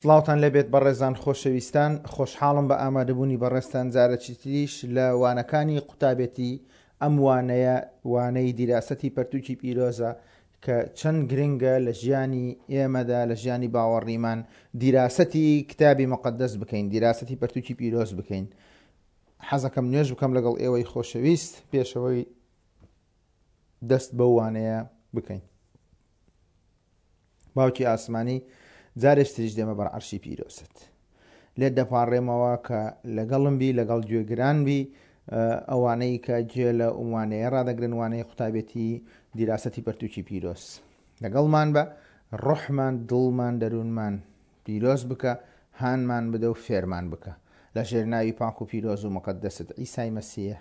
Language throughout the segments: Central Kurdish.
سڵاوتان لێبێت بەڕێزان خۆشەویستان، خۆشحاڵم بە ئامادەبوونی بەڕێزتان جارێکی تریش لە وانەکانی قوتابێتی، ئەم وانەیە وانەی دیراسەتی پەرتوکی پیرۆزە کە چەند گرنگە لە ژیانی ئێمەدا لە ژیانی باوەڕیمان دیراسەتی کتابی مقدس بکەین دیراسەتی پەرتوکی پیرۆز بکەین حەزەکەم نوێژ بکەم لەگەڵ ئێوەی خۆشەویست پێشەوەی دەست بەو وانەیە بکەین. باوکی ئاسمانی جارێک تریش دێمە بەر عەرشی پیرۆزت لێت دەپاڕێمەوە کە لەگەڵم بی لەگەڵ گوێگران بی ئەوانەی کە گوێ لە وانەیە ڕادەگرن وانەی قوتابێتی دیراسەتی پەرتوکی پیرۆز لەگەڵمان بە ڕۆحمان دڵمان دەروونمان پیرۆز بکە هانمان بدە و فێرمان بکە لە ژێر ناوی پاک و پیرۆز و مقدست عیسای مەسیح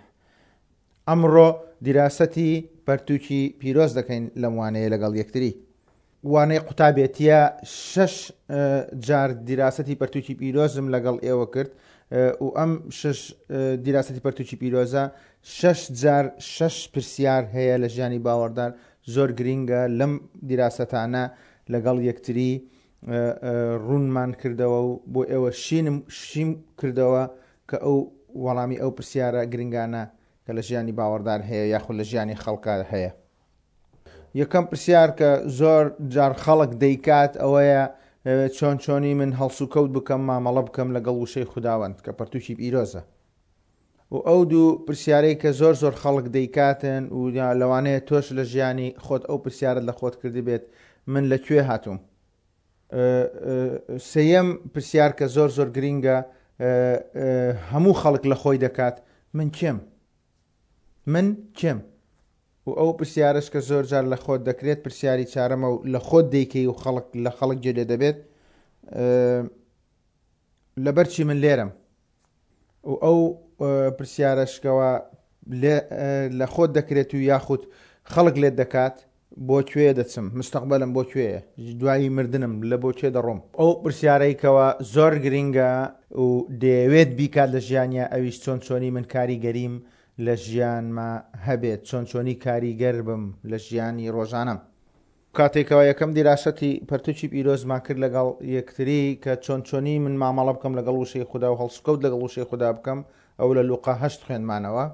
ئەمڕۆ دیراسەتی پەرتووکی پیرۆز دەکەین لەم وانەیە لەگەڵ یەکتری. وانەی قوتابێتیە شەش جار دیراسەتی پەرتووکی پیرۆزم لەگەڵ ئێوە کرد و ئەم شەش دیراسەتی پەرتووکی پیرۆزە شەش جار شەش پرسیار هەیە لە ژیانی باوەڕدار زۆر گرینگە لەم دیراسەتانە لەگەڵ یەکتری ڕوونمان کردەوە و بۆ ئێوە شینم شیم کردەوە کە ئەو وەڵامی ئەو پرسیارە گرنگانە کە لە ژیانی باوەڕدار هەیە یاخود لە ژیانی خەڵکا هەیە. یەکەم پرسیار کە زۆر جار خەڵک دەیکات ئەوەیە چۆن چۆنی من هەڵسوکەوت بکەم مامەڵە بکەم لەگەڵ وشەی خوداوەند کە پەرتوکی پیرۆزە و ئەو دوو پرسیارەی کە زۆر زۆر خەڵک دەیکاتن و لەوانەیە تۆش لە ژیانی خۆت ئەو پرسیارت لە خۆت کردبێت من لە کوێ هاتووم سێیەم پرسیار کە زۆر زۆر گرینگە هەموو خەڵک لە خۆی دەکات من کێم من کێم و ئەو پرسیارش کە زۆر جار لە خۆت دەکرێت پرسیاری چارەمە و لە خۆت دەیکەی و خەڵک لە خەڵک گوێ لێ دەبێت لەبەر چی من لێرەم و ئەو پرسیارەش کەوا لە خۆت دەکرێت و یاخود خەڵک لێت دەکات بۆ کوێ دەچم مستەقبلم بۆ کوێیە دوایی مردنم لە بۆ کوێ دەڕۆم ئەو پرسیارەی کەوا زۆر گرینگە و دەیەوێت بیکات لە ژیانیا ئەویش چۆن چۆنی من کاریگەریم لە ژیانما هەبێت چۆن چۆنی کاریگەر بم لە ژیانی ڕۆژانەم. کاتێکەوە یەکەم دیراسەتی پەرتوکی پیرۆزمان کرد لەگەڵ یەکتری کە چۆن چۆنی من مامەڵە بکەم لەگەڵ وشەی خودا و هەڵسوکەوت لەگەڵ وشەی خودا بکەم ئەو لە لوقا هەشت خوێندمانەوە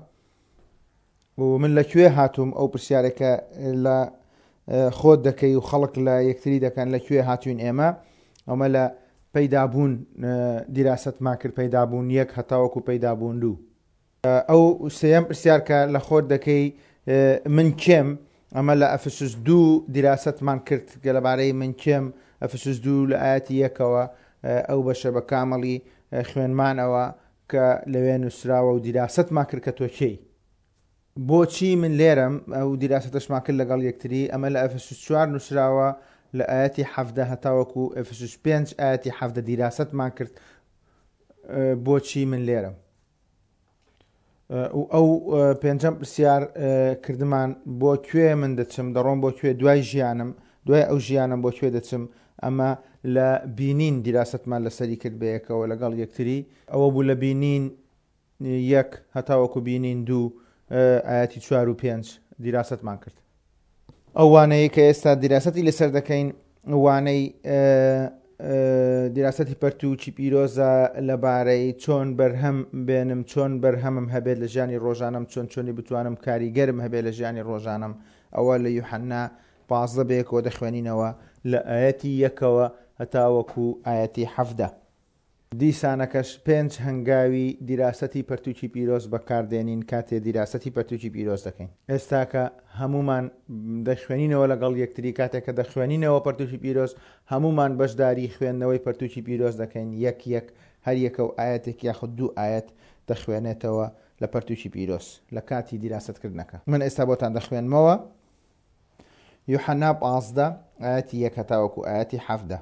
و من لە کوێ هاتووم ئەو پرسیارێکە لە خۆت دەکەی و خەڵک لە یەکتری دەکەن لە کوێ هاتوین ئێمە ئەمە لە پەیدابوون دیراسەتمان کرد پەیدابوون یەک هەتاوەکو پەیدابوون دوو ئەو سێیەم پرسیار کە لە خۆت دەکەی من کێم ئەمە لە ئەفسوس دوو دیراسەتمان کرد کە لەبارەی من کێم ئەفسوس دوو لە ئاەتی یەکەوە ئەو بەشە بە کامەڵی خوێنمانەوە کە لەوێ نووسراوە و دیراسەتمان کرد کە تۆ کێی بۆچی من لێرەم ئەو دیراسەتەشمان کرد لەگەڵ یەکتری ئەمە لە ئەفسوس چوار نووسراوە لە ئاەتی حەفدە هەتاوەکو ئەفسوس پێنج ئاەتی حەفدە دیراسەتمان کرد بۆچی من لێرەم و ئەو پێنجەم پرسیار کردمان بۆ کوێ من دەچم دەڕۆم بۆ کوێ دوای ژیانم دوای ئەو ژیانم بۆ کوێ دەچم ئەمە لە بینین دیراستمان لەسەری کرد بەیەکەوە لەگەڵ یەکتری ئەوە بوو لە بینین یەک هەتاوەکو بینین دوو ئاەتی چوار و پێنج دیراستمان کرد ئەو وانەیە کە ئێستا دیراسەتی لەسەر دەکەین وانەی دیراسەتی پەرتووکی پیرۆزە لەبارەی چۆن بەرهەم بێنم چۆن بەرهەمم هەبێت لە ژیانی ڕۆژانم چۆن چۆنی بتوانم کاریگەرم هەبێت لە ژیانی ڕۆژانم ئەوە لە یوحەنا 15 بەیەکەوە دەخوێنینەوە لە ئایەتی یەکەوە هەتاوەکو ئایەتی حەفدە. دیسانەکەش پێنج هەنگاوی دیراسەتی پەرتوکی پیرۆز بەکار دێنین کاتێ دیراسەتی پەرتوکی پیرۆز دەکەین. ئێستاکە هەموومان دەخوێنینەوە لەگەڵ یەکتری کاتێک کە دەخوێنینەوە پەرتوکی پیرۆز هەموومان بەشداری خوێندنەوەی پەرتوکی پیرۆز دەکەین یەک یەک هەر یەکە و ئایەتێک یاخود دوو ئایەت دەخوێنێتەوە لە پەرتوکی پیرۆز لە کاتی دیراسەت کردنەکە. من ئێستا بۆتان دەخوێنمەوە یوحەنا 15 ئایەتی یەک هەتاوەکو ئایەتی 17.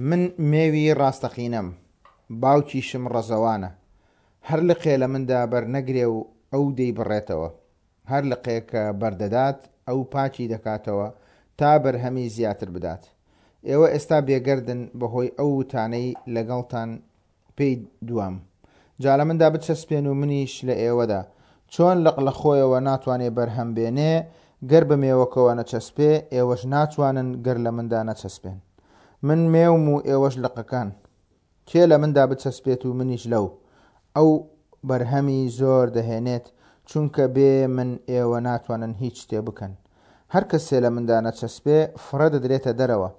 من مێوی ڕاستەقینەم، باوکیشم ڕەزەوانە. هەر لقێ لە مندا بەر نەگرێ و ئەو دەیبڕێتەوە. هەر لقێ کە بەر دەدات، ئەو پاکی دەکاتەوە تا بەرهەمی زیاتر بدات. ئێوە ئێستا بێگەردن بەهۆی ئەو وتانەی لەگەڵتان پێی دوام. جا لە مندا بچەسپێن و منیش لە ئێوەدا. چۆن لق لە خۆیەوە ناتوانێ بەرهەم بێنێ، گەر بە مێوەکەوە نەچەسپێ، ئێوەش ناتوانن گەر لە مندا نەچەسپێن. من مێوم و ئێوەش لقەکان. کێ لە مندا بچەسپێت و منیش لەو، ئەو بەرهەمی زۆر دەهێنێت، چونکە بێ من ئێوە ناتوانن هیچ شتێ بکەن. هەر کەسێ لە مندا نەچەسپێ، فڕێ دەدرێتە دەرەوە،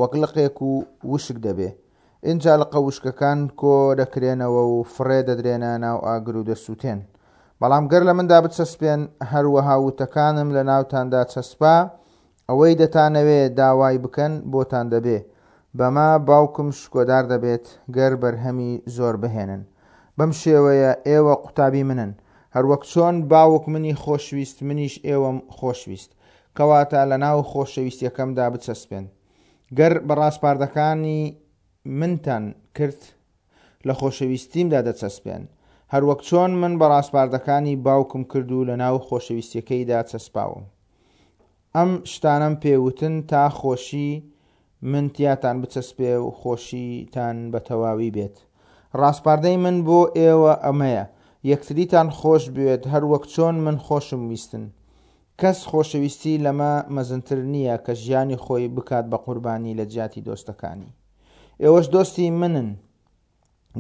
وەک لقێک و وشک دەبێ. ئینجا لقە وشکەکان کۆ دەکرێنەوە و فڕێ دەدرێنە ناو ئاگر و دەسووتێن. بەڵام گەر لە مندا بچەسپێن، هەروەها وتەکانم لە ناوتاندا چەسپا، ئەوەی دەتانەوێ داوای بکەن بۆتان دەبێ. بەمە باوکم شکۆدار دەبێت گەر بەرهەمی زۆر بهێنن. بەم شێوەیە ئێوە قوتابی منن. هەروەک چۆن باوک منی خۆشویست منیش ئێوەم خۆشویست. کەواتە لەناو خۆشەویستیەکەمدا بچەسپێن. گەر بە ڕاسپاردەکانی منتان کرد لە خۆشەویستیمدا دەچەسپێن. هەروەک چۆن من بە ڕاسپاردەکانی باوکم کرد و لەناو خۆشەویستیەکەیدا چەسپاوم. ئەم شتانەم پێ وتن تا خۆشی من تیاتان بچەسپێ و خۆشیتان بە تەواوی بێت. ڕاسپاردەی من بۆ ئێوە ئەمەیە، یەکتریتان خۆش بوێت هەروەک چۆن من خۆشم ویستن. کەس خۆشەویستی لەمە مەزنتر نییە کە ژیانی خۆی بکات بە قوربانی لە جیاتی دۆستەکانی. ئێوەش دۆستی منن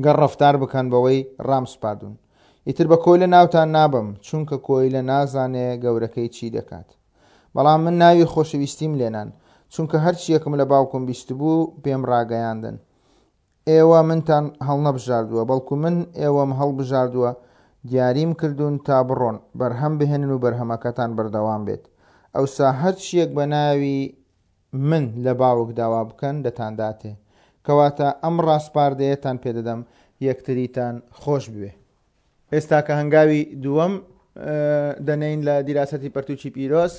گەر ڕەفتار بکەن بەوەی ڕامسپاردوون. ئیتر بە کۆیلە ناوتان نابەم، چونکە کۆیلە نازانێ گەورەکەی چی دەکات. بەڵام من ناوی خۆشەویستیم لێنان، چونکە هەرچییەکم لە باوکم بیستبوو پێم ڕاگەیاندن. ئێوە منتان هەڵنەبژاردووە، بەڵکو من ئێوەم هەڵبژاردووە، دیاریم کردوون تا بڕۆن، بەرهەم بهێنن و بەرهەمەکەتان بەردەوام بێت. ئەوسا هەرچییەک بە ناوی من لە باوک داوا بکەن دەتانداتێ. کەواتە ئەم ڕاسپاردەیەتان پێدەدەم، یەکتریتان خۆش بوێ. ئێستا کە هەنگاوی دووەم دەنێین لە دیراسەتی پەرتوکی پیرۆز،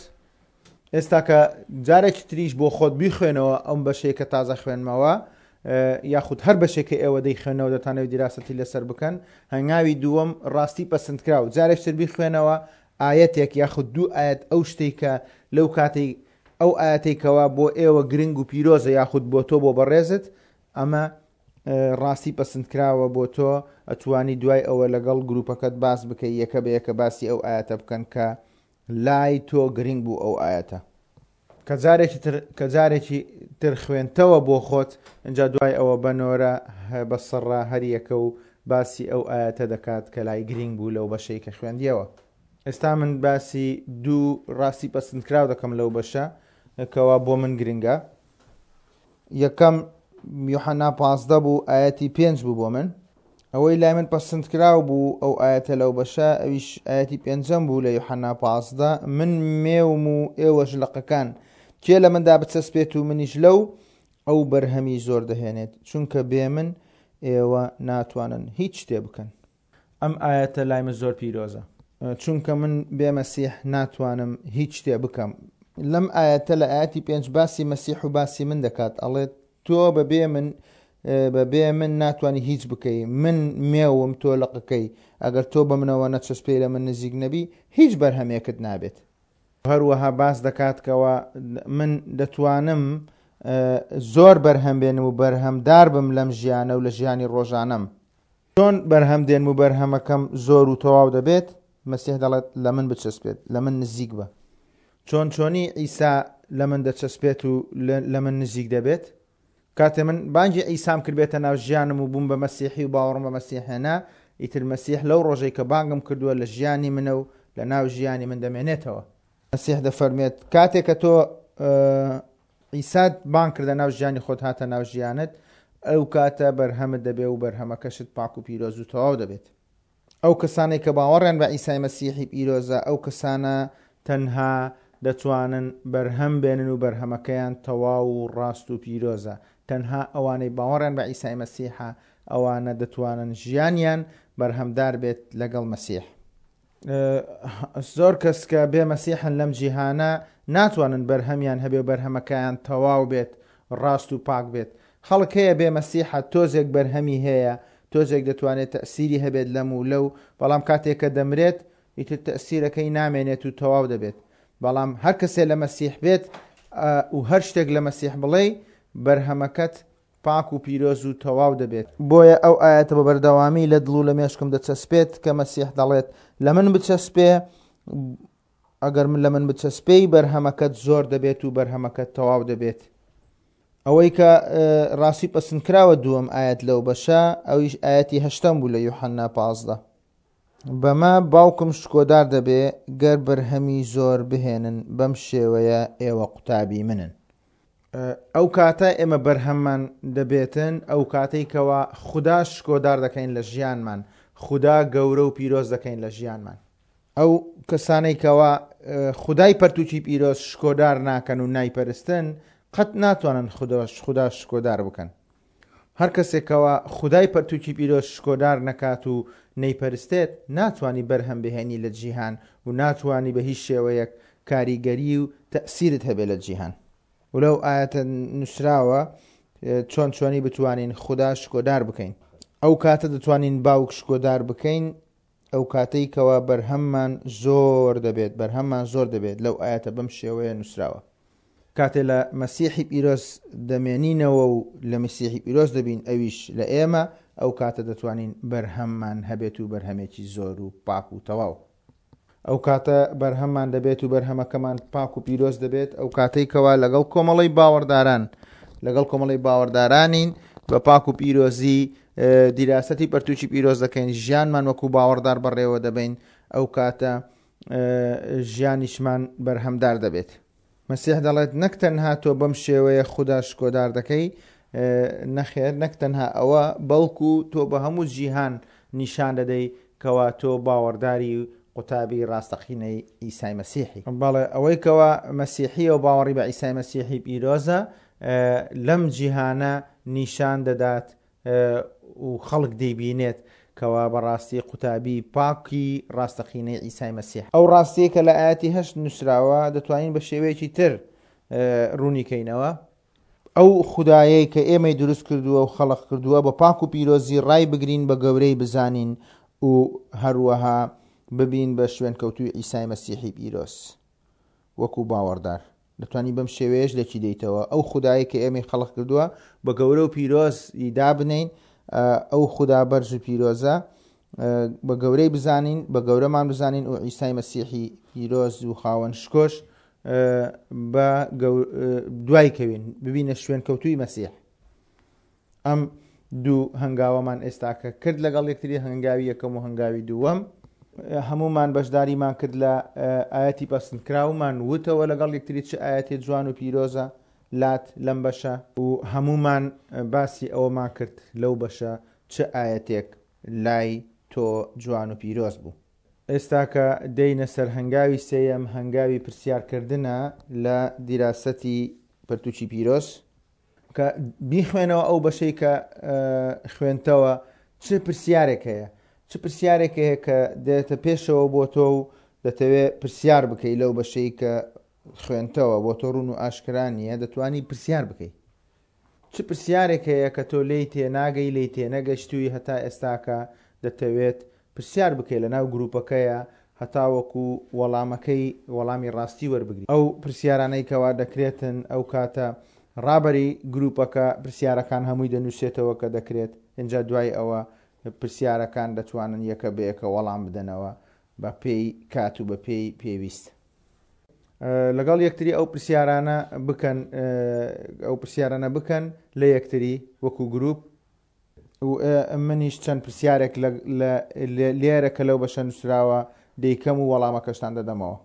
ئێستا کە جارێکی تریش بۆ خۆت بیخوێنەوە ئەم بەشەی کە تازە خوێنمەوە یاخود هەر بەشێک کە ئێوە دەیخوێنەوە دەتانەوێت دیراسەتی لەسەر بکەن، هەنگاوی دووەم ڕاستی پەسندکراو جارێکی تر بیخوێنەوە ئایەتێک یاخود دوو ئایەت ئەو شتەی کە لەو کاتەی ئەو ئایەتەی کەوا بۆ ئێوە گرنگ و پیرۆزە یاخود بۆ تۆ بۆ بەڕێزت ئەمە ڕاستی پەسندکراوە بۆ تۆ ئەتوانی دوای ئەوە لەگەڵ گروپەکەت باس بکەی یەکە بە یەکە باسی ئەو ئایەتە بکەن کە لای تۆ گرنگ بوو ئەو ئایەتە. کە جارێکی تر کە جارێکی تر خوێندتەوە بۆ خۆت ئینجا دوای ئەوە بە نۆرە بە سڕە هەر یەکە و باسی ئەو ئایەتە دەکات کە لای گرینگ بوو لەو بەشەی کە خوێندیەوە. ئێستا من باسی دوو ڕاستی پەسندکراو دەکەم لەو بەشە کەوا بۆ من گرنگە. یەکەم یوحەنا 15 بوو ئایەتی پێنج بوو بۆ من. ئەوەی لای من پەسندکراو بوو ئەو ئایەتە لەو بەشە ئەویش ئایەتی پێنجەم بوو لە یوحەنا 15 من مێوم و ئێوەش لقەکان کێ لە مندا بچەسپێت و منیش لەو ئەو بەرهەمی زۆر دەهێنێت چونکە بێ من ئێوە ناتوانن هیچ شتێ بکەن. ئەم ئایەتە لای من زۆر پیرۆزە. چونکە من بێ مەسیح ناتوانم هیچ شتێ بکەم. لەم ئایەتە لە ئایەتی پێنج باسی مەسیح و باسی من دەکات ئەڵێت تۆ بەبێ من بەبێ من ناتوانی هیچ بکەی من مێوم تۆ لقەکەی ئەگەر تۆ بە منەوە نەچەسپێی لە من نزیک نەبی هیچ بەرهەمێکت نابێت. هەروەها باس دەکات کەوا من دەتوانم زۆر بەرهەم بێنم و بەرهەمدار بم لەم ژیانە و لە ژیانی ڕۆژانەم. چۆن بەرهەم دێنم و بەرهەمەکەم زۆر و تەواو دەبێت؟ مەسیح دەڵێت، لە من بچەسپێت، لە من نزیک بە. چۆن چۆنی عیسا لە من دەچەسپێت و لە من نزیک دەبێت؟ کاتێ من بانگی عیسام کرد بێتە ناو ژیانم و بووم بە مەسیحی و باوەڕم بە مەسیح هێنا، ئیتر مەسیح لەو ڕۆژەی کە بانگم کردووە لە ژیانی منە و لە ناو ژیانی من دەمێنێتەوە. مەسیح دەفەرموێت، کاتێ کە تۆ عیسات بانگ کردە ناو ژیانی خۆت هاتە ناو ژیانت ئەو کاتە بەرهەمت دەبێ و بەرهەمەکەشت پاک و پیرۆز و تەواو دەبێت. ئەو کەسانەی کە باوەڕیان بە عیسای مەسیحی پیرۆزە ئەو کەسانە تەنها دەتوانن بەرهەم بێنن و بەرهەمەکەیان تەواو و ڕاست و پیرۆزە تەنها ئەوانەی باوەڕیان بە عیسای مەسیحە ئەوانە دەتوانن ژیانیان بەرهەمدار بێت لەگەڵ مەسیح. زۆر کەس کە بێ مەسیحن لەم جیهانە ناتوانن بەرهەمیان هەبێ و بەرهەمەکەیان تەواو بێت ڕاست و پاک بێت خەڵک هەیە بێ مەسیحە تۆزێک بەرهەمی هەیە تۆزێک دەتوانێت تەسیری هەبێت لەم و لەو بەڵام کاتێک کە دەمرێت ئیتر تەسیرەکەی نامێنێت و تەواو دەبێت بەڵام هەر کەسێ لە مەسیح بێت و هەر شتێک لە مەسیح بڵێی بەرهەمەکەت پاک و پیرۆز و تەواو دەبێت. بۆیە ئەو ئایەتە بە بەردەوامی لە دڵ و لە مێشکم دەچەسپێت کە مەسیح دەڵێت، لە من بچەسپێ، ئەگەر من لە من بچەسپێی بەرهەمەکەت زۆر دەبێت و بەرهەمەکەت تەواو دەبێت. ئەوەی کە ڕاستی پەسندکراوە دووەم ئایەت لەو بەشە ئەویش ئایەتی هەشتەم بوو لە یوحەنا 15. بەمە باوکم شکۆدار دەبێ گەر بەرهەمی زۆر بهێنن بەم شێوەیە ئێوە قوتابی منن. ئەو کاتە ئێمە بەرهەممان دەبێتن ئەو کاتەی کەوا خودا شکۆدار دەکەین لە ژیانمان خودا گەورە و پیرۆز دەکەین لە ژیانمان. ئەو کەسانەی کەوا خودای پەرتوکی پیرۆز شکۆدار ناکەن و نایپەرستن قەت ناتوانن خودا شکۆدار بکەن. هەر کەسێک کەوا خودای پەرتوکی پیرۆز شکۆدار نەکات و نەیپەرستێت ناتوانی بەرهەم بهێنی لە جیهان و ناتوانی بە هیچ شێوەیەک کاریگەری و تەئسیرت هەبێ لە جیهان. و لەو ئایەتە نوسراوە چۆن چۆنی بتوانین خودا شکۆدار بکەین. ئەو کاتە دەتوانین باوک شکۆدار بکەین ئەو کاتەی کەوا بەرهەممان زۆر دەبێت بەرهەممان زۆر دەبێت لەو ئایەتە بەم شێوەیە نوسراوە. کاتێ لە مەسیحی پیرۆز دەمێنینەوە و لە مەسیحی پیرۆز دەبین ئەویش لە ئێمە، ئەو کاتە دەتوانین بەرهەممان هەبێت و بەرهەمێکی زۆر و پاک و تەواو. ئەو کاتە بەرهەممان دەبێت و بەرهەمەکەمان پاک و پیرۆز دەبێت، ئەو کاتەی کەوا لەگەڵ کۆمەڵەی باوەڕداران لەگەڵ کۆمەڵەی باوەڕدارانین بە پاک و پیرۆزی دیراسەتی پەرتوکی پیرۆز دەکەین، ژیانمان وەکو باوەڕدار بەڕێوە دەبەین، ئەو کاتە ژیانیشمان بەرهەمدار دەبێت. مەسیح دەڵێت نەک تەنها تۆ بەم شێوەیە خودا شکۆدار دەکەی، نەخێر نەک تەنها ئەوە، بەڵکو تۆ بە هەموو جیهان نیشان دەدەی کەوا تۆ باوەڕداری و قوتابی ڕاستەقینەی عیسای مەسیحی. بەڵێ ئەوەی کەوا مەسیحیە و باوەڕی بە عیسای مەسیحی پیرۆزە لەم جیهانە نیشان دەدات و خەڵک دەیبینێت کەوا بەڕاستی قوتابی پاکی ڕاستەقینەی عیسای مەسیح. ئەو ڕاستیەی کە لە ئایەتی هەشت نووسراوە دەتوانین بە شێوەیەکی تر ڕوونی کەینەوە. ئەو خودایەی کە ئێمەی دروست کردووە و خەڵق کردووە بە پاک و پیرۆزی ڕای بگرین بە گەورەی بزانین و هەروەها ببین بە شوێنکەوتووی عیسای مەسیحی پیرۆز وەکو باوەڕدار. دەتوانی بەم شێوەیەش لێکی دەیتەوە، ئەو خودایەی کە ئێمەی خەڵق کردووە بە گەورە و پیرۆز ی دابنێین، ئەو خودا بەرز و پیرۆزە بە گەورەی بزانین، بە گەورەمان بزانین و عیسای مەسیحی پیرۆز و خاوەن شکۆش بە دوای کەوین، ببینە شوێنکەوتووی مەسیح. ئەم دوو هەنگاوەمان ئێستاکە کرد لەگەڵ یەکتری، هەنگاوی یەکەم و هەنگاوی دووەم. هەموومان بەشداریمان کرد لە ئایەتی پەسندکراومان وتەوە لەگەڵ یەکتری چ ئایەتێ جوان و پیرۆزە لات لەم بەشە. و هەموومان باسی ئەوەمان کرد لەو بەشە چ ئایەتێک لای تۆ جوان و پیرۆز بوو. ئێستاکە دێینە سەر هەنگاوی سێیەم، هەنگاوی پرسیارکردنە لە دیراسەتی پەرتوکی پیرۆز. کە بیخوێنەوە ئەو بەشەی کە خوێنتەوە چ پرسیارێک هەیە چ پرسیارێک هەیە کە دێتە پێشەوە بۆ تۆ و دەتەوێت پرسیار بکەی لەو بەشەی کە خوێنتەوە بۆ تۆ ڕوون و ئاشکرا نییە دەتوانی پرسیار بکەی چ پرسیارێک هەیە کە تۆ لێی تێناگەی لێی تێنەگەشتووی هەتا ئێستاکە دەتەوێت پرسیار بکەی لەناو گروپەکەیا هەتاوەکو وەڵامەکەی وەڵامی ڕاستی وەربگری. ئەو پرسیارانەی کەوا دەکرێتن ئەو کاتە ڕابەری گروپەکە پرسیارەکان هەمووی دەنوسێتەوە کە دەکرێت ئینجا دوای ئەوە پرسیارەکان دەتوانن یەکە بە یەکە وەڵام بدەنەوە بە پێی کات و بە پێی پێویست. لەگەڵ یەکتری ئەو پرسیارانە بکەن ئەو پرسیارانە بکەن لە یەکتری وەکو گروپ و منیش چەند پرسیارێک لێرە کە لەو بەشە نووسراوە دەیکەم و وەڵامەکەشتان دەدەمەوە.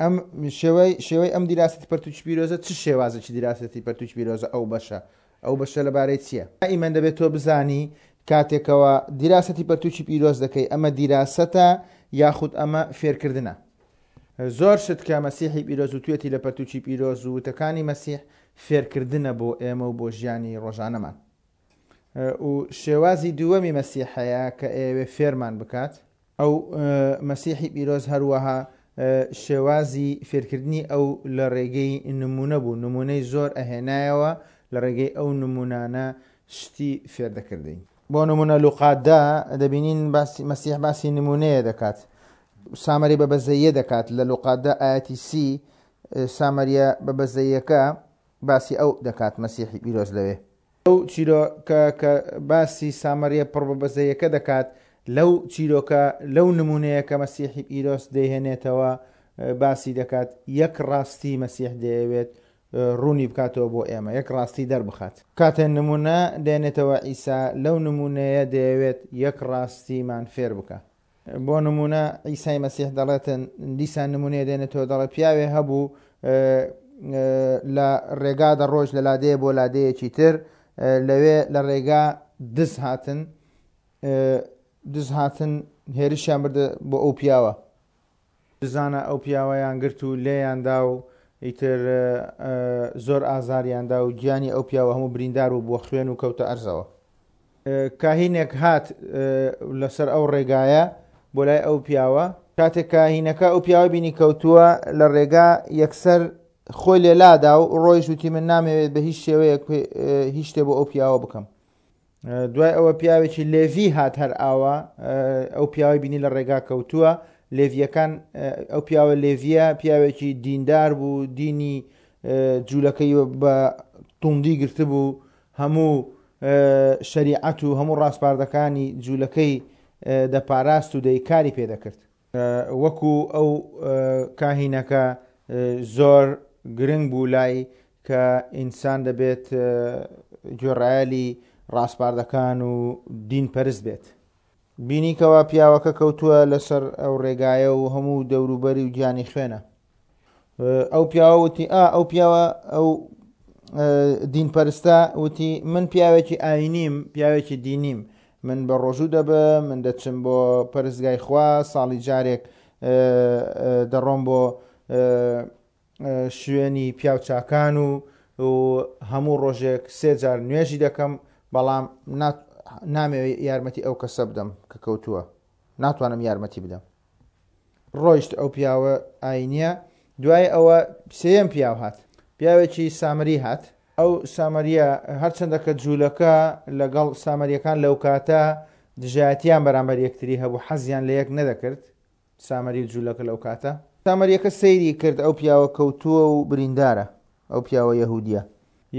ئەم شێوەی شێوەی ئەم دیراسەتی پەرتوکی پیرۆزە چ شێوازێکی دیراسەتی پەرتوکی پیرۆزە ئەو بەشە ئەو بەشە لەبارەی چییە؟ ئیمەن دەبێت تۆ بزانی کاتێکەوە دیراسەتی پەرتوکی پیرۆز دەکەی ئەمە دیراسەتە یاخود ئەمە فێرکردنە زۆر شت کە مەسیحی پیرۆز وتوێتی لە پەرتوکی پیرۆز و وتەکانی مەسیح فێرکردنە بۆ ئێمە و بۆ ژیانی ڕۆژانەمان. و شێوازی دووەمی مەسیح هەیە کە ئەیەوێ فێرمان بکات. ئەو مەسیحی پیرۆز هەروەها شێوازی فێرکردنی ئەو لە ڕێگەی نموونە بوو، نموونەی زۆر ئەهێنایەوە، لە ڕێگەی ئەو نموونانە شتی فێر دەکردین. بۆ نموونە لوقا دە دەبینین باسی مەسیح باسی نموونەیە دەکات، سامری بە بەزەییە دەکات لە لوقا دە ئایەتی سی سامریە بە بەزەییەکە باسی ئەو دەکات مەسیحی پیرۆز لەوێ. ئەو چیرۆکە کە باسی سامریە پڕ بە بەزەیەکە دەکات لەو چیرۆکە لەو نمونەیە کە مەسیحی پیرۆز دەیهێنێتەوە باسی دەکات یەک ڕاستی مەسیح دەیەوێت ڕوونی بکاتەوە بۆ ئێمە، یەک ڕاستی دەربخات. کاتێ نموونە دێنێتەوە عیسا لەو نموونەیە دەیەوێت یەک ڕاستیمان فێر بکا. بۆ نموونە عیسای مەسیح دەڵێتن، دیسان نموونەیە دێنێتەوە دەڵێ پیاوێ هەبوو لە ڕێگا دەڕۆیشت لە لادێیە بۆ لادێیەکی تر، لەوێ لە ڕێگا دز هاتن، دز هاتن هێرشیان بردە بۆ ئەو پیاوە. دزانە ئەو پیاوەیان گرت و لێیان دا و ئیتر زۆر ئازاریان دا و گیانی ئەو پیاوە هەموو بریندار بوو بووە خوێن و کەوتە ئەرزەوە. کاهینێک هات لەسەر ئەو ڕێگایە بۆ لای ئەو پیاوە. کاتێک کاهینەکە ئەو پیاوە بینی کەوتووە لە ڕێگا یەکسەر خۆی لێ لادا و ڕۆیشت وتی من نامەوێت بە هیچ شێوەیەک هیچ شتێ بۆ ئەو پیاوە بکەم. دوای ئەوە پیاوێکی لێڤی هات هەر ئاوا ئەو پیاوەی بینی لە ڕێگا کەوتووە لێڤیەکان ئەو پیاوە لێڤیە پیاوێکی دیندار بوو دینی جوولەکەی بە توندی گرتبوو هەموو شەریعەت و هەموو ڕاسپاردەکانی جوولەکەی دەپاراست و دەیکاری پێدەکرد وەکو ئەو کاهینەکە زۆر گرنگ بوو لای کە ئینسان دەبێت گوێڕایەلی ڕاسپاردەکان و دین پەرست بێت. بینی کەوا پیاوەکە کەوتووە لەسەر ئەو ڕێگایە و هەموو دەوروبەری و گیانی خوێنە. ئەو پیاوە وتی ئا ئەو پیاوە ئەو دین پەرستە وتی من پیاوێکی ئاینیم پیاوێکی دینیم من بە ڕۆژوو دەبم من دەچم بۆ پەرستگای خوا ساڵی جارێک دەڕۆم بۆ شوێنی پیاوچاکان و و هەموو ڕۆژێک سێ جار نوێژی دەکەم بەڵام نامەوێت یارمەتی ئەو کەسە بدەم کە کەوتووە ناتوانم یارمەتی بدەم ڕۆیشت ئەو پیاوە ئاینیە دوای ئەوە سێیەم پیاو هات پیاوێکی سامری هات ئەو سامریە هەرچەندە کە جوولەکە لەگەڵ سامریەکان لەو کاتە دژایەتیان بەرامبەر یەکتری هەبوو حەزیان لە یەک نەدەکرد سامری و جوولەکە لەو کاتە سامریەکە سەیری کرد ئەو پیاوە کەوتووە و بریندارە ئەو پیاوە یەهودیە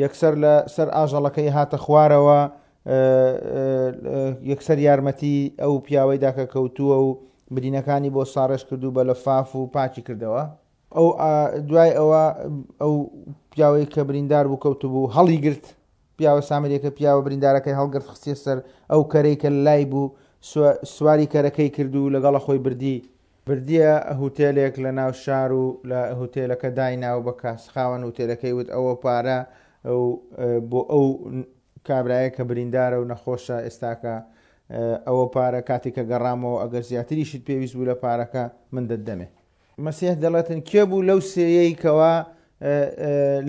یەکسەر لە سەر ئاژەڵەکەی هاتە خوارەوە یەکسەر یارمەتی ئەو پیاوەی دا کە کەوتووە و برینەکانی بۆ ساڕێژ کرد و بە لەفاف و پاکی کردەوە. ئەو دوای ئەوە ئەو پیاوەی کە بریندار بوو کەوتبوو هەڵیگرت پیاوە سامریەکە پیاوە بریندارەکەی هەڵگرت خستیە سەر ئەو کەرەی کە لای بوو سواری کەرەکەی کرد و لەگەڵە خۆی بردی بردیە هوتێلێک لە ناو شار و لە هوتێلەکە داینا و بە کاس خاوەن هوتێلەکەی وت ئەوە پارە و بۆ ئەو کابرایە کە بریندارە و نەخۆشە ئێستاکە ئەوە پارە کاتێک کە گەڕامەوە ئەگەر زیاتریشت پێویست بوو لە پارەکە من دەتدەمێ. مەسیح دەڵێتن کێ بوو لەو سێیەی کەوا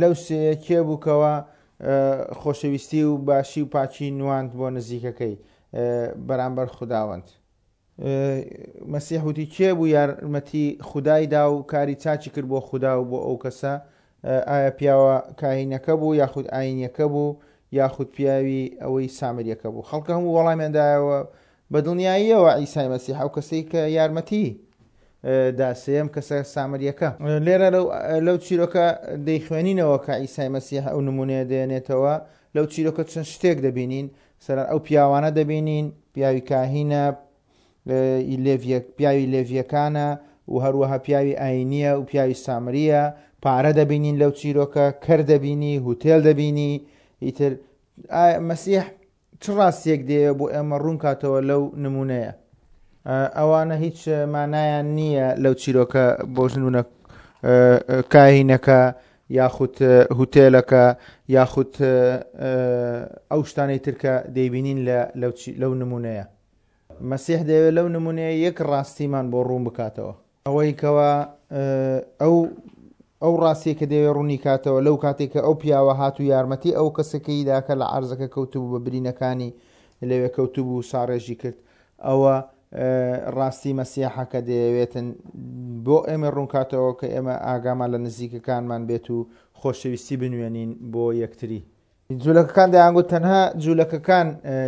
لەو سێیە کێ بوو کەوا خۆشەویستی و باشی و پاکی نواند بۆ نزیکەکەی بەرامبەر خوداوەند. مەسیح وتی کێ بوو یارمەتی خودای دا و کاری چاکی کرد بۆ خودا و بۆ ئەو کەسە؟ ئایا پیاوە کاهینەکە بوو یاخود ئاینیەکە بوو یاخود پیاوی ئەوەی سامریەکە بوو؟ خەڵکە هەموو وەڵامیان دایەوە بە دڵنیاییەوە عیسای مەسیح ئەو کەسەی کە یارمەتی دا سێیەم کەسە سامریەکە. لێرە لەو چیرۆکە دەیخوێنینەوە کە عیسای مەسیح ئەو نمونەیە دێنێتەوە لەو چیرۆکە چەند شتێک دەبینین سەرەن ئەو پیاوانە دەبینین، پیاوی کاهینە، پیاوی لێڤیەکانە و هەروەها پیاوی ئاینیە و پیاوی سامریە، پارە دەبینین لەو چیرۆکە، کەر دەبینی، هوتێل دەبینی، ئیتر مەسیح چ ڕاستیەک دەیەوێت بۆ ئێمە ڕوون کاتەوە لەو نمونەیە؟ ئەوانە هیچ مانایان نییە لەو چیرۆکە بۆ نمونە کاهینەکە یاخود هوتێلەکە یاخود ئەو شتانەی تر کە دەیبینین لە لەو نمونەیە. مەسیح دەیەوێت لەو نمونەیە یەک ڕاستیمان بۆ ڕوون بکاتەوە. ئەوەی کەوا ئەو ئەو ڕاستیە کە دەیەوێت ڕوونی کاتەوە لەو کاتێک کە ئەو پیاوە هات و یارمەتی ئەو کەسەکەی دا کە لە عەرزەکە کەوتبوو بە برینەکانی لەوێ کەوتبوو ساڕێژی کرد ئەوە ڕاستی مەسیحە کە دەیەوێتن بۆ ئێمە ڕوونکاتەوە کە ئێمە ئاگامان لە نزیکەکانمان بێت و خۆشەویستی بنوێنین بۆ یەکتری. جولەکەکان دەیانگوت تەنها جولەکەکان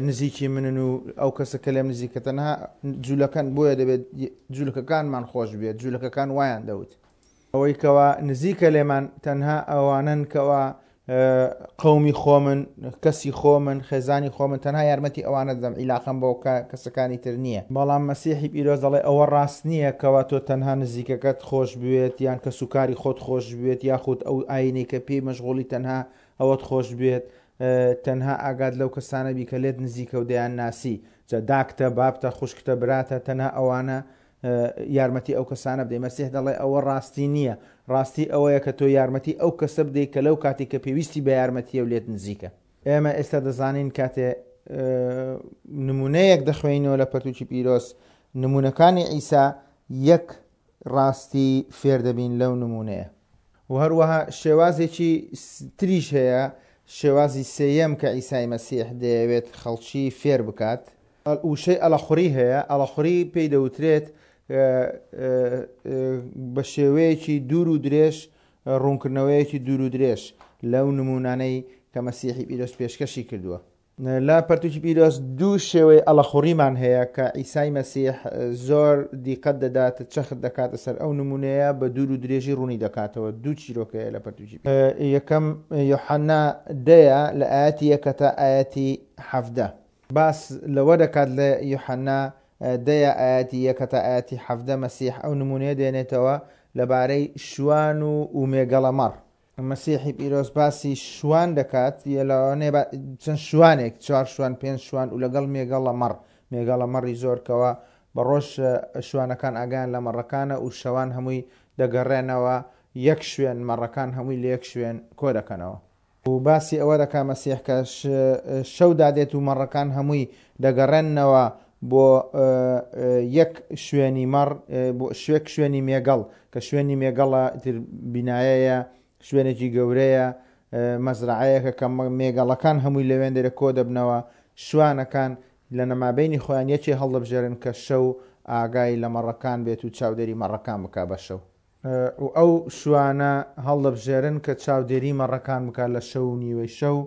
نزیکی منن و ئەو کەسە کە لێم نزیکە تەنها جولەکەن بۆیە دەبێت جولەکەکانمان خۆش بێت جولەکەکان وایان دەوت. ئەوەی کەوا نزیکە لێمان تەنها ئەوانەن کەوا قەومی خۆمن، کەسی خۆمن، خێزانی خۆمن، تەنها یارمەتی ئەوانە دەدەم، عیلاقەم بۆ کەسەکانی تر نییە. بەڵام مەسیحی پیرۆز دەڵێ ئەوە ڕاست نییە کەوا تۆ تەنها نزیکەکەت خۆش بوێت یان کەسوکاری خۆت خۆش بوێت یاخود ئەو ئاینەی کە پێی مەشغوڵی تەنها ئەوەت خۆش بوێت، تەنها ئاگات لەو کەسانە بی کە لێت نزیکە و دەیانناسی، جا داکتە، بابتە، خوشکتە، براتە، تەنها ئەوانە یارمەتی ئەو کەسانە بدەی. مەسیح دەڵێ ئەوە ڕاستی نییە، ڕاستی ئەوەیە کە تۆ یارمەتی ئەو کەسە بدەی کە لەو کاتی کە پێویستی بە یارمەتیە و لێت نزیکە. ئێمە ئێستا دەزانین کاتێ نمونەیەک دەخوێنینەوە لە پەرتوکی پیرۆز، نمونەکانی عیسا یەک ڕاستی فێر دەبین لەو نمونەیە. و هەروەها شێوازێکی تریش هەیە، شێوازی سێیەم کە عیسای مەسیح دەیەوێت خەڵکی فێر بکات. وشەی ئەڵەخوڕی هەیە، ئەڵەخوڕی پێی دەوترێت بە شێوەیەکی دوور و درێژ، ڕوونکردنەوەیەکی دوور و درێژ لەو نموونانەی کە مەسیحی پیرۆز پێشکەشی کردووە. لە پەرتوکی پیرۆز دوو شێوەی ئەڵەخوڕیمان هەیە کە عیسای مەسیح زۆر دیقەت دەدات، چەخت دەکاتە سەر ئەو نموونەیە، بە دوور و درێژی ڕوونی دەکاتەوە. دوو چیرۆک هەیە لە پەرتوکی یەکەم یۆحەنا دەیە لە ئایەتی یەکە تا ئایەتی 17. باس لەوە دەکات لە یۆحەنا دەیە ئایەتی یەکە تا ئایەتی 17 مەسیح ئەو نموونەیە دێنێتەوە لەبارەی شوان و و مێگەڵە مەڕ. مەسیحی پیرۆز باسی شوان دەکات، لەوانەیە چەند شوانێک، چوار شوان، پێنج شوان و لەگەڵ مێگەڵە مەڕ، مێگەڵە مەڕی زۆر کەوا بە ڕۆژ شوانەکان ئاگایان لە مەڕەکانە و شەوان هەمووی دەگەڕێنەوە یەک شوێن، مەڕەکان هەمووی لە یەک شوێن کۆ دەکەنەوە. و باسی ئەوە دەکا مەسیح کە شەو دادێت و مەڕەکان هەمووی دەگەڕێنەوە بۆ یەک شوێنی مەڕ، بۆ شوێک شوێنی مێگەڵ، کە شوێنی مێگەڵە تر بینایەیە، شوێنێکی گەورەیە، مەزرعەیەکە کە مێگەڵەکان هەمووی لەوێن دەرە کۆ دەبنەوە. شوانەکان لە نەمابینی خۆیان یەکێ هەڵدەبژێرن کە شەو ئاگای لە مەڕەکان بێت و چاودێری مەڕەکان بکا بە شەو. و ئەو شوانە هەڵدەبژێرن کە چاودێری مەڕەکان بکات لە شەو و نیوەی شەو